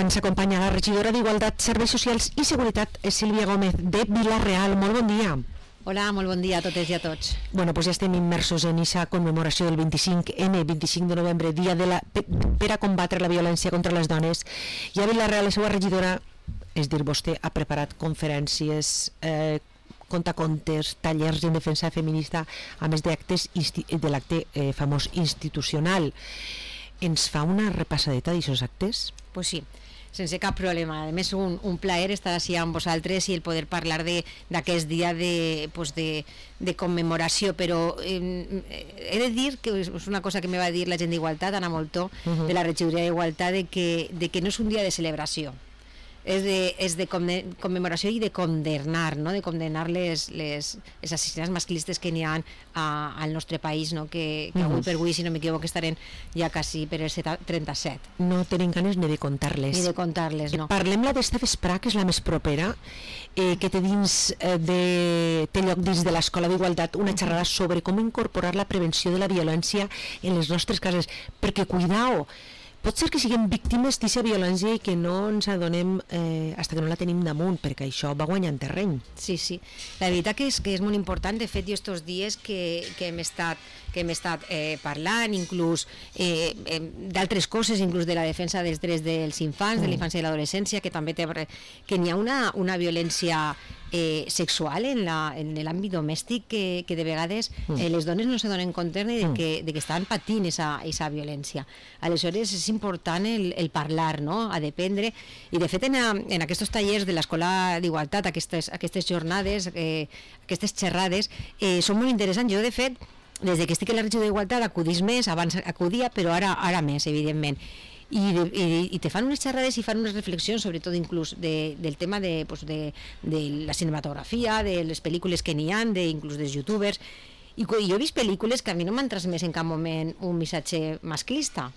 Ens acompanya la regidora d'Igualtat, Serveis Socials i Seguretat, Sílvia Gómez, de Vila-real. Molt bon dia. Hola, molt bon dia a totes i a tots. Bueno, pues ja estem immersos en aquesta commemoració del 25N, 25 de novembre, dia per a combatre la violència contra les dones. I a Vila-real, la seva regidora, és dir, vostè ha preparat conferències, contacontes, tallers en defensa feminista, a més d'actes de l'acte famós institucional. Ens fa una repassadeta d'aquests actes? Pues sí, sense cap problema. A més, un plaer estar així amb vosaltres i el poder parlar d'aquest dia de commemoració, però he de dir que és una cosa que me va dir la gent d'Igualtat, Ana Moltó, de la regidoria d'Igualtat, de que no és un dia de celebració, és de commemoració i de condemnar, no? De condemnar les assassinats masclistes que n'hi ha al nostre país, no? Que avui per avui, si no m'equivoco, estarem ja quasi per el 37. No tenim ganes ni de contar-les. Ni de contar-les, no. Parlem-la d'esta vesprà, que és la més propera, que té lloc dins de l'Escola d'Igualtat, una xerrada sobre com incorporar la prevenció de la violència en les nostres cases, perquè, cuidao, pot ser que siguem víctimes d'aquesta violència i que no ens adonem fins que no la tenim damunt, perquè això va guanyant terreny. Sí, sí. La veritat que és molt important. De fet, jo estos dies que hem estat parlant inclús d'altres coses, inclús de la defensa dels drets dels infants, de la infància i l'adolescència, que també que n'hi ha una violència sexual en l'àmbit domèstic que de vegades les dones no se donen compte de que estan patint aquesta violència. Aleshores és important el parlar, no? A dependre, i de fet en aquests tallers de l'Escola d'Igualtat, aquestes jornades, aquestes xerrades són molt interessants. Jo de fet, des que estic a la regió d'Igualtat acudís més, abans acudia, però ara més, evidentment. I te fan unes xerrades i fan unes reflexions, sobretot inclús del tema de la cinematografia, de les pel·lícules que n'hi ha, inclús dels youtubers, i jo he vist pel·lícules que a mi no m'han transmès en cap moment un missatge masclista,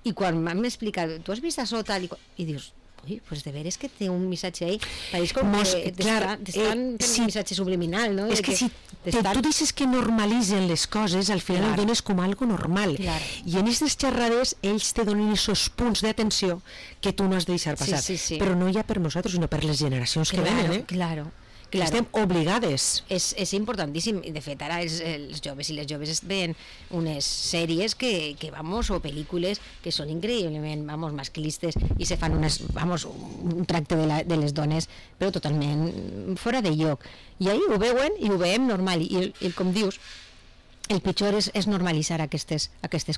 i quan m'han explicat, tu has vist això tal, i dius, ui, pues de veres que té un missatge ahí, pareix com que t'estan fent un missatge subliminal, no? És que si tu deixes que normalitzen les coses, al final ho dones com algo normal. I en aquestes xerrades ells te donen aquests punts d'atenció que tu no has de deixar passar. Però no ja per nosaltres, sinó per les generacions que venen. Claro. Estem obligades. És importantíssim. De fet, ara els joves i les joves veuen unes sèries o pel·lícules que són increïblement masclistes i se fan un tracte de les dones però totalment fora de lloc. I ahir ho veuen i ho veiem normal. I com dius, el pitjor és normalitzar aquestes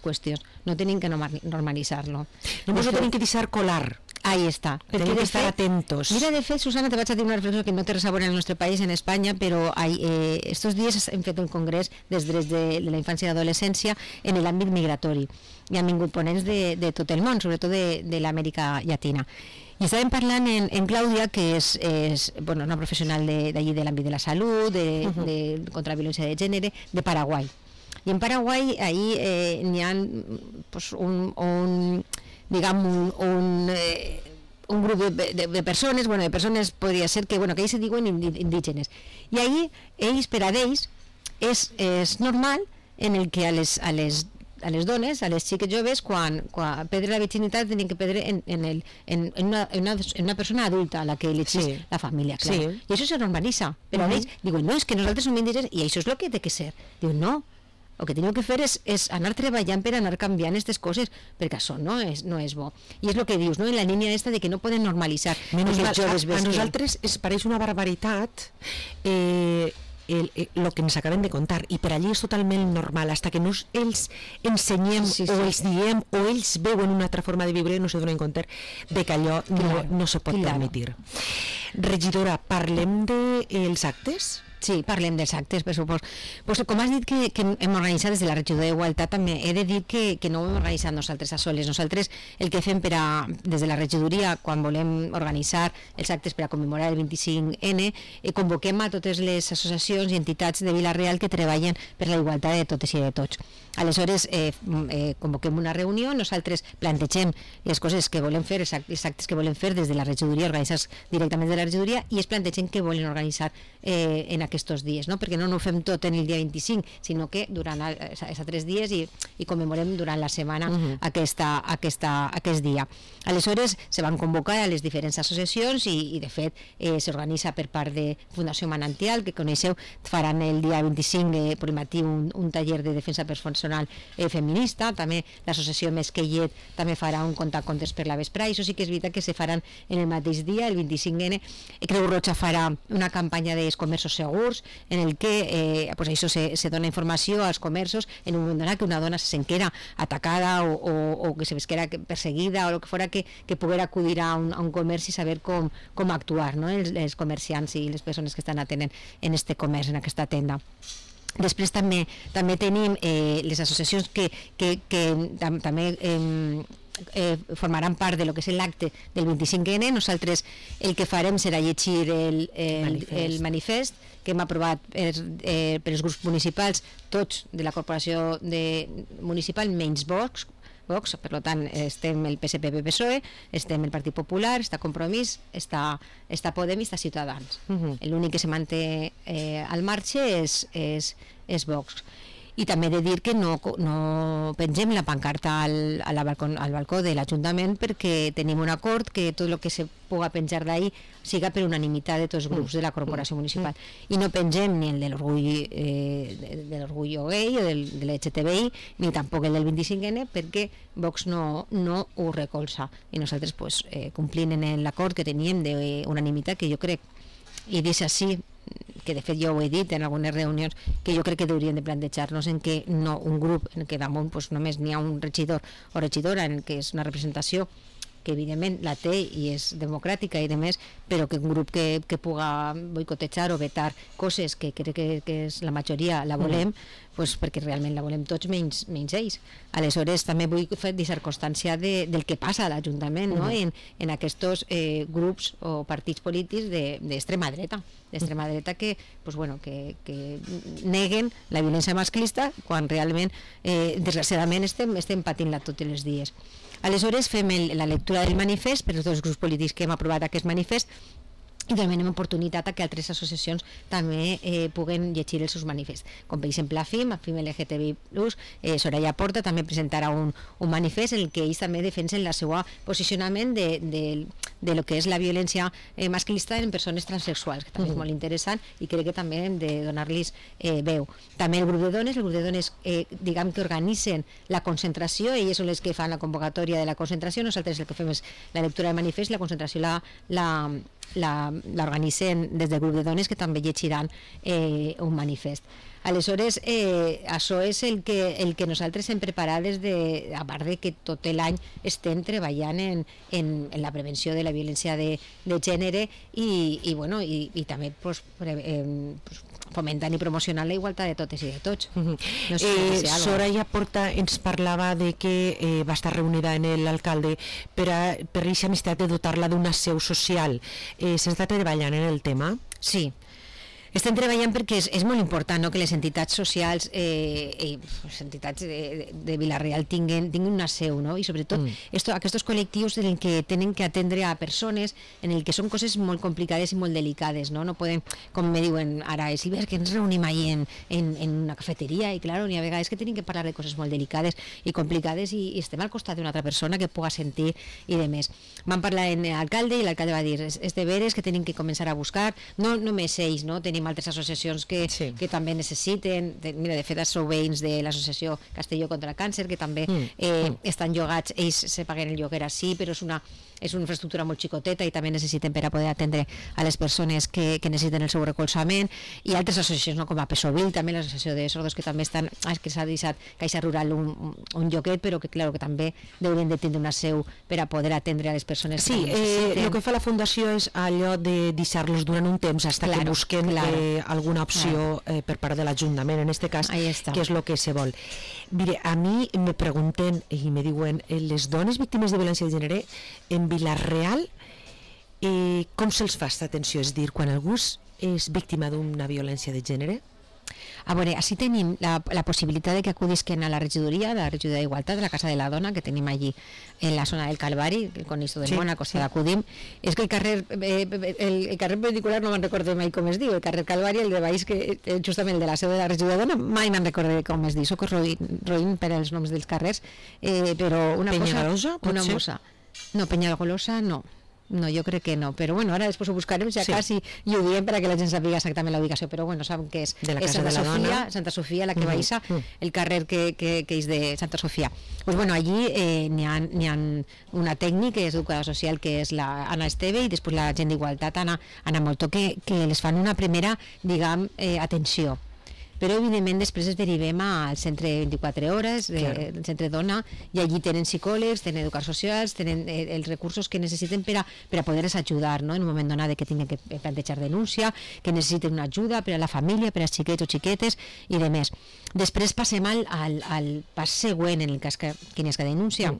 qüestions. No tenim que normalitzar-lo. Només ho tenim que deixar colar. Ahí està. Tenim que estar atentos. Mira, de fet, Susana, te vaig a dir una reflexió que no té res a veure en el nostre país, en Espanya, però estos dies hem fet un congrés dels drets de la infància i l'adolescència en l'àmbit migratori. I han vingut ponents de tot el món, sobretot de l'Amèrica Llatina. I estàvem parlant en Clàudia, que és una professional d'allí de l'àmbit de la salut, contra la violència de gènere, de Paraguai. I en Paraguai ahí n'hi ha un grup de persones podria ser que ells se diuen indígenes. I ahí ells, per a ells, és normal en el que a les dones, a les xiques joves, quan perdre la virginitat tenen que perdre en una persona adulta a la que elegís la família, clar. I això se normalitza, però ells diuen, no, és que nosaltres som indígenes i això és el que té que ser. Diuen, no, el que tenim que fer és anar treballant per anar canviant aquestes coses, perquè això no és bo. I és el que dius, no? En la línia aquesta de que no poden normalitzar. A nosaltres es pareix una barbaritat el que ens acaben de contar, i per allí és totalment normal, fins que no els ensenyem o els diem o ells veuen una altra forma de viure, no se donen compte de que allò no se pot permetre. Regidora, parlem dels actes? Sí, parlem dels actes, per supost. Com has dit que hem organitzat des de la regidoria d'Igualtat, també he de dir que no ho hem organitzat nosaltres a soles. Nosaltres el que fem des de la regidoria, quan volem organitzar els actes per a commemorar el 25N, convoquem a totes les associacions i entitats de Vila-real que treballen per la igualtat de totes i de tots. Aleshores convoquem una reunió, nosaltres plantegem les coses que volem fer, els actes que volem fer des de la regidoria, organitzats directament de la regidoria, i es plantegem què volen organitzar en aquests dies, no? Perquè no ho fem tot en el dia 25, sinó que durant els 3 dies i commemorem durant la setmana aquest dia. Aleshores se van convocar a les diferents associacions i de fet s'organitza per part de Fundació Manantial, que coneixeu, faran el dia 25 per matí un taller de defensa personal feminista. També l'associació Mesquellet també farà un contes per la vesprà, i això sí que és veritat que se faran en el mateix dia, el 25N. Creu Roja farà una campanya dels comerços segurs en el que això se dona informació als comerços en un moment donat que una dona se sentera atacada o que se vesquera perseguida o el que fora, que poguera acudir a un comerç i saber com actuar, no? Els comerciants i les persones que estan atenent en este comerç, en aquesta tenda. Després també tenim les associacions que també formaran part de lo que és l'acte del 25N. Nosaltres el que farem serà llegir el manifest que hem aprovat per els grups municipals, tots de la corporació municipal, menys Vox, per tant estem el PSPB-PSOE, estem el Partit Popular, està Compromís, està Podem i està Ciutadans. L'únic que se manté al marge és Vox. I també he de dir que no pengem la pancarta al balcó de l'Ajuntament, perquè tenim un acord que tot el que se puga penjar d'ahí siga per unanimitat de tots els grups de la corporació municipal, i no pengem ni el de l'orgull gay o de l'LGTBI, ni tampoc el del 25N, perquè Vox no ho recolza, i nosaltres complint en l'acord que teníem d'unanimitat, que jo crec, i dic així, que de fet jo ho he dit en algunes reunions, que jo crec que hauríem de plantejar-nos en què no un grup en què damunt només n'hi ha un regidor o regidora, en què és una representació que evidentment la té i és democràtica i demés, però que un grup que puga boicotejar o vetar coses que crec que és la majoria la volem, perquè realment la volem tots menys ells. Aleshores també vull deixar constància del que passa a l'Ajuntament, no? En aquests grups o partits polítics d'extrema dreta que neguen la violència masclista quan realment desgraciadament estem patint-la tots els dies. Aleshores fem la lectura del manifest per als dos grups polítics que hem aprovat aquest manifest, i donem oportunitat a que altres associacions també puguen llegir els seus manifests, com per exemple FIM LGTBI+, Soraya Porta també presentarà un manifest en el que ells també defensen el seu posicionament de lo que és la violència masclista en persones transsexuals, que també és molt interessant i crec que també hem de donar-los veu. També el grup de dones diguem que organitzen la concentració, elles són les que fan la convocatòria de la concentració, nosaltres el que fem és la lectura del manifest, la concentració l'organitzen des del grup de dones, que també llegiran un manifest. Aleshores, això és el que nosaltres hem preparat a part de que tot l'any estem treballant en la prevenció de la violència de gènere i també fomentant i promocionant la igualtat de totes i de tots. Soraya Porta ens parlava de que va estar reunida en l'alcalde per aquesta amistat de dotar-la d'una seu social. S'està treballant en el tema? Sí. Estem treballant perquè és molt important, no?, que les entitats socials, les entitats de Vila-real tinguin una seu, no? I sobretot aquests col·lectius en què tenen que atendre a persones en el que són coses molt complicades i molt delicades, no? No poden, com me diuen ara, si ves que ens reunim ahí en una cafeteria, i clar, n'hi ha vegades que tenim que parlar de coses molt delicades i complicades i estem al costat d'una altra persona que puga sentir i de més. Vam parlar amb l'alcalde i l'alcalde va dir, és de veres que tenim que començar a buscar, no només ells, no? Tenim altres associacions que també necessiten. Mira, de fet sou veïns de l'associació Castelló contra el Càncer, que també estan llogats, ells se paguen el lloguer així, però és una infraestructura molt xicoteta i també necessiten per a poder atendre a les persones que necessiten el seu recolzament, i altres associacions, no?, com a Pesovil, també l'associació de sordos, que també estan, que s'ha deixat Caixa Rural un lloguet, però que clar, que també haurien de tindre una seu per a poder atendre a les persones que necessiten. El que fa la Fundació és allò de deixar-los durant un temps fins que busquen alguna opció per part de l'Ajuntament, en aquest cas, que és el que se vol. Mire, a mi me pregunten i me diuen, les dones víctimes de violència de gènere en Vila-real, com se'ls fa aquesta atenció? És dir, quan algú és víctima d'una violència de gènere, A veure, així tenim la possibilitat de que acudisquen a la regidoria d'Igualtat, de la Casa de la Dona, que tenim allí en la zona del Calvari, el Conisto del Món, a costa d'acudim. És que el carrer particular no me'n recordo mai com es diu, el carrer Calvari, el de baix, que justament el de la seu de la regidoria de Dona, mai me'n recordo com es diu, soc roïn per als noms dels carrers, però una Penyagolosa, cosa... Una mossa. No, Penyagolosa no. No, jo crec que no, però bueno, ara després ho buscarem si quasi i ho diem perquè la gent sàpiga exactament la ubicació, però bueno, saben que és Santa Sofia, la que baixa, el carrer que és de Santa Sofia. Pues bueno, allí n'hi ha una tècnica, que és educadora social, que és la Anna Esteve, i després la gent d'Igualtat, Anna Moltó, que les fan una primera, diguem, atenció. Però evidentment després es derivem al centre 24 hores, el centre Dona, i allí tenen psicòlegs, tenen educadors socials, tenen els recursos que necessiten per a poder-les ajudar, no? En un moment donat que tinguin que plantejar denúncia, que necessiten una ajuda per a la família, per als xiquets o xiquetes i de més. Després passem al pas següent, en el cas que n'hi ha denúncia,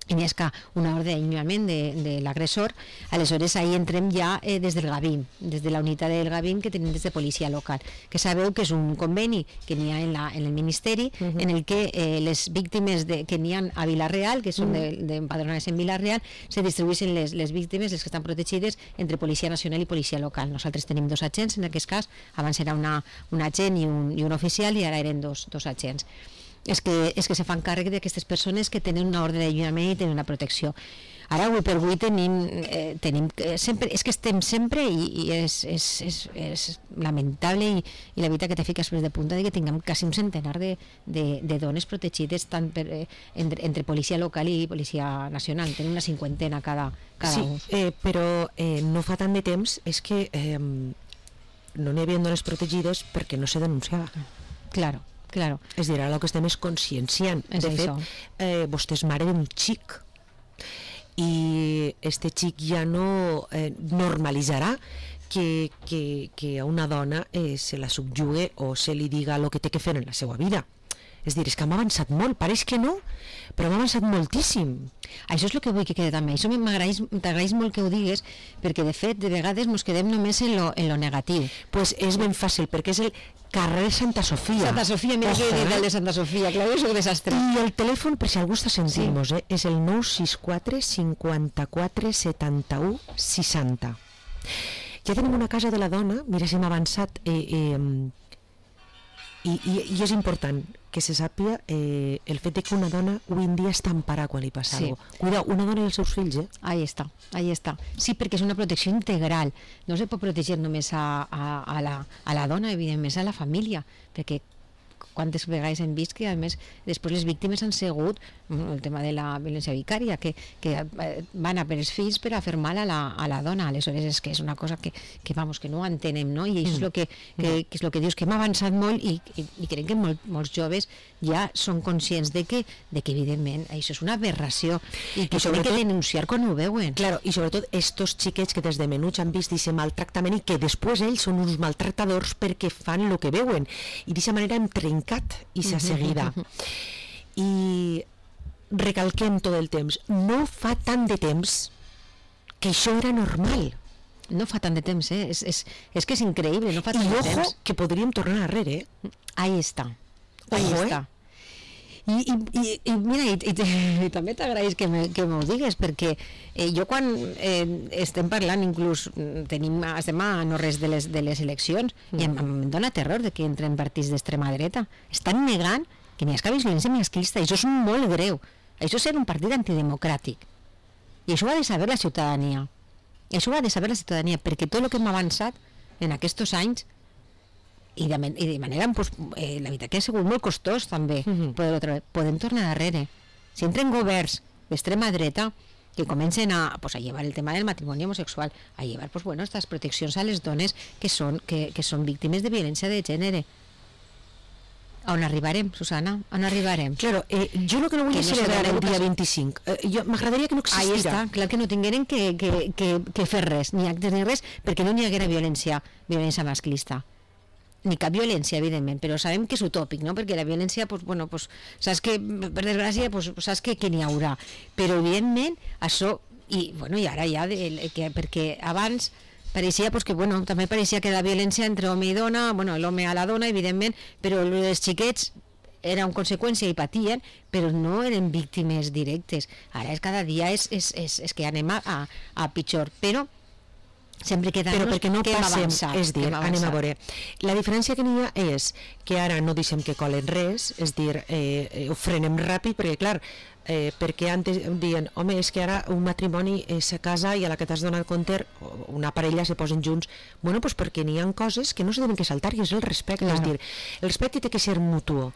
i n'hi ha una ordre d'allunyament de l'agressor. Aleshores ahí entrem ja des del Gavín, des de la unitat del Gavín que tenim des de policia local, que sabeu que és un conveni que n'hi ha en el Ministeri, en el que les víctimes que n'hi ha a Vila-real, que són d'empadronades en Vila-real, se distribueixen les víctimes, les que estan protegides, entre Policia Nacional i Policia Local. Nosaltres tenim 2 agents, en aquest cas, abans era un agent i un oficial, i ara eren dos agents. És que se fan càrrec d'aquestes persones que tenen una ordre d'allunyament i tenen una protecció. Ara, avui per avui, tenim sempre, és que estem sempre, i és lamentable, i la veritat que te fiques de punta de que tinguem quasi un centenar de dones protegides tant entre policia local i policia nacional. Tenim una 50 cada un. Sí, però no fa tant de temps és que no n'hi havia dones protegides perquè no se denunciava. Claro. És a dir, ara el que estem és conscienciant. De fet, vostè és mare d'un xic, i este xic ja no normalitzarà que a una dona se la subjugue o se li diga el que té que fer en la seva vida. És a dir, és que hem avançat molt, pareix que no, però hem avançat moltíssim. Això és el que vull que quede també. Això t'agraeix molt que ho digues, perquè de fet, de vegades ens quedem només en lo negatiu. Pues és ben fàcil, perquè és el carrer Santa Sofia. Santa Sofia, mira que he dit el de Santa Sofia, clar, és un desastre. I el telèfon, per si algú està sentint-nos, és el 964 54 71 60. Ja tenim una casa de la dona, mira si hem avançat, i és important que se sàpiga el fet de que una dona avui en dia està emparada quan li passa alguna cosa. Cuidao, una dona i els seus fills, Ahí està. Sí, perquè és una protecció integral. No se pot protegir només a la dona, evidentment, a la família, perquè quantes vegades hem vist que a més després les víctimes han sigut el tema de la violència vicària, que van a per els fills per a fer mal a la dona. Aleshores és que és una cosa que no entenem, no? I això és el que és el que dius, que hem avançat molt, i crec que molts joves ja són conscients de que evidentment això és una aberració i que s'han de denunciar quan ho veuen. Claro, i sobretot estos xiquets que des de menuts han vist aquest maltractament i que després ells són uns maltractadors perquè fan el que veuen, i d'aquesta manera hem trencat aquesta seguida. I recalquem tot el temps, no fa tant de temps que això era normal. No fa tant de temps, és que és increïble, no fa tant de temps. I ojo que podríem tornar darrere, Ahí està. I mira, i també t'agraeix que m'ho digues, perquè jo quan estem parlant, inclús estem a no res de les eleccions, i em dona terror de que entren partits d'extrema dreta. Estan negant que n'hi ha violència masclista, i això és molt greu. Això és ser un partit antidemocràtic, i això ho ha de saber la ciutadania. Perquè tot el que hem avançat en aquests anys, i de manera, la veritat que ha sigut molt costós també, podem tornar darrere. Si entren governs d'extrema dreta que comencen a llevar el tema del matrimoni homosexual, a llevar estas proteccions a les dones que són víctimes de violència de gènere, on arribarem, Susana? On arribarem? Claro, jo el que no vull és celebrar el dia 25. M'agradaria que no existira. Ahí està, clar que no tingueren que fer res, ni actes ni res, perquè no n'hi haguera violència masclista. Ni cap violència, evidentment, però sabem que és utòpic, no? Perquè la violència, saps que, per desgràcia, saps que n'hi haurà. Però, evidentment, això, i ara ja, perquè abans, pareixia pues, que, bueno, també pareixia que la violència entre home i dona, bueno, l'home a la dona, evidentment, però els xiquets era una conseqüència i patien, però no eren víctimes directes. Ara cada dia és que anem a pitjor, però sempre però perquè no passem, és dir, anem a veure, la diferència que n'hi ha és que ara no deixem que colen res, és dir, ho frenem ràpid, perquè clar, perquè antes diuen, home, és que ara un matrimoni se casa i a la que t'has donat compte una parella se posen junts, bueno, doncs perquè n'hi ha coses que no se deuen que saltar i és el respecte, claro. És dir, el respecte té que ser mutuo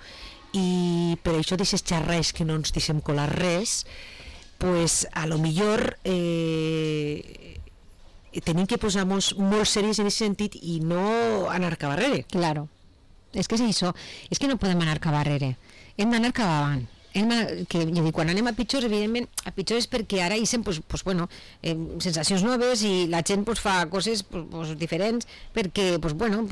i per això d'aquestes xerres que no ens deixem colar res, pues a lo millor tenim que posar-nos molt serios en aquest sentit i no anar cap darrere. Claro, és que és això, és que no podem anar cap darrere, hem d'anar cap avant. Que, jo dic, quan anem a pitjors, evidentment a pitjors és perquè ara hi sent bueno, sensacions noves i la gent fa coses diferents perquè, bueno,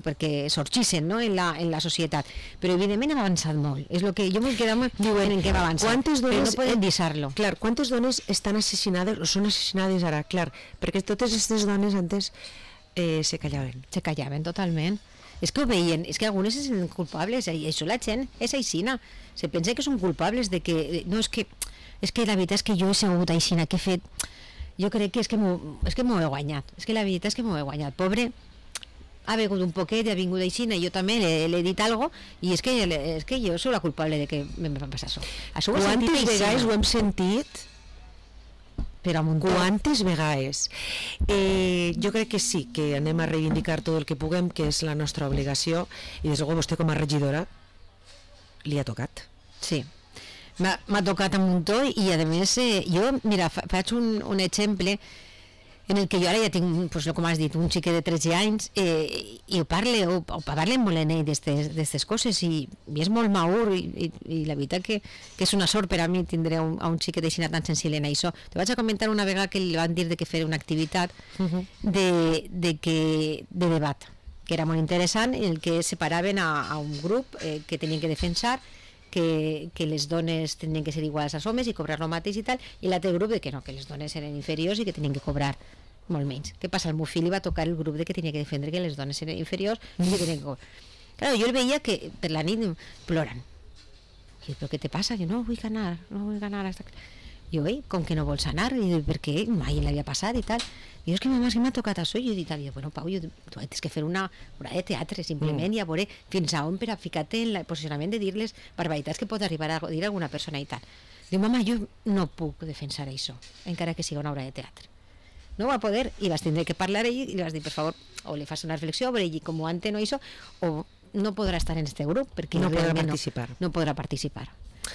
perquè sorgeixen, no, en la societat, però evidentment hem avançat molt, és el que jo m'he quedat en què hem avançat, però no podem deixar-lo. Clar, quantes dones estan assassinades o són assassinades ara? Clar, perquè totes aquestes dones antes se callaven totalment. És que ho veien, és que algunes se senten culpables i això la gent és aixina, se pensa que són culpables de que, no, és que la veritat és que jo he sigut aixina, que he fet, jo crec que és que m'ho he guanyat, és que la veritat és que m'ho he guanyat, pobre, ha begut un poquet i ha vingut aixina i jo també l'he dit algo i és que jo soc la culpable de que em va passar això. Quantes vegades ho hem sentit? Però quantes vegades? Jo crec que sí, que anem a reivindicar tot el que puguem, que és la nostra obligació, i des de luego vostè com a regidora li ha tocat. Sí, m'ha tocat un muntó i a més jo, mira, faig un exemple en el que jo ara ja tinc, pues, com has dit, un xiquet de 13 anys i ho parle molt en ell d'aquestes coses i és molt madur i la veritat que és una sort per a mi tindre a un xiquet així tan sensible en això. Te vaig a comentar una vegada que li van dir de que fer una activitat de debat, que era molt interessant, en el que separaven a un grup que tenien que defensar que les dones tenien que ser iguals als homes i cobrar el mateix i tal, i l'altre grup de que no, que les dones eren inferiors i que tenien que cobrar molt menys. Què passa? El meu fill li va tocar el grup de que tenia que defendre que les dones eren inferiors i que tenien que cobrar. Claro, jo el veia que per la nit ploren. I però què te passa? Jo no vull anar hasta... Jo, com que no vols anar? I dic, per què? Mai l'havia passat i tal. I és que m'ha tocat això i jo dic, bueno, Pau, tu has que fer una obra de teatre simplement i a veure fins a on per a ficar-te en el posicionament de dir les barbaritats que pot arribar a dir alguna persona i tal. Diu, mama, jo no puc defensar això, encara que sigui una obra de teatre. No va poder, i vas tindre que parlar ell i li vas dir, per favor, o li fas una reflexió sobre ell com ho entén o això, o no podrà estar en este grup perquè no podrà participar. No podrà participar.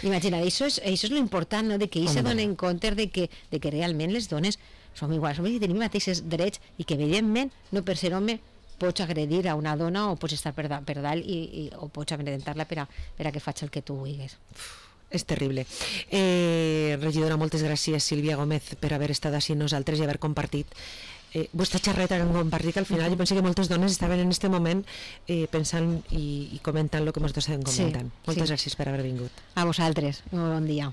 Imagina't, això és l'important, no? De que ells se donen compte de que realment les dones som iguals, i tenim mateixos drets i que evidentment no per ser home pots agredir a una dona o pots estar per dalt o pots amedrentar-la per a que faci el que tu vulguis. És terrible. Regidora, moltes gràcies, Sílvia Gómez, per haver estat així amb nosaltres i haver compartit vostra xerreta que hem compartit, que al final jo penso que moltes dones estaven en aquest moment pensant i comentant el que ens estem comentant. Moltes gràcies per haver vingut. A vosaltres, un bon dia.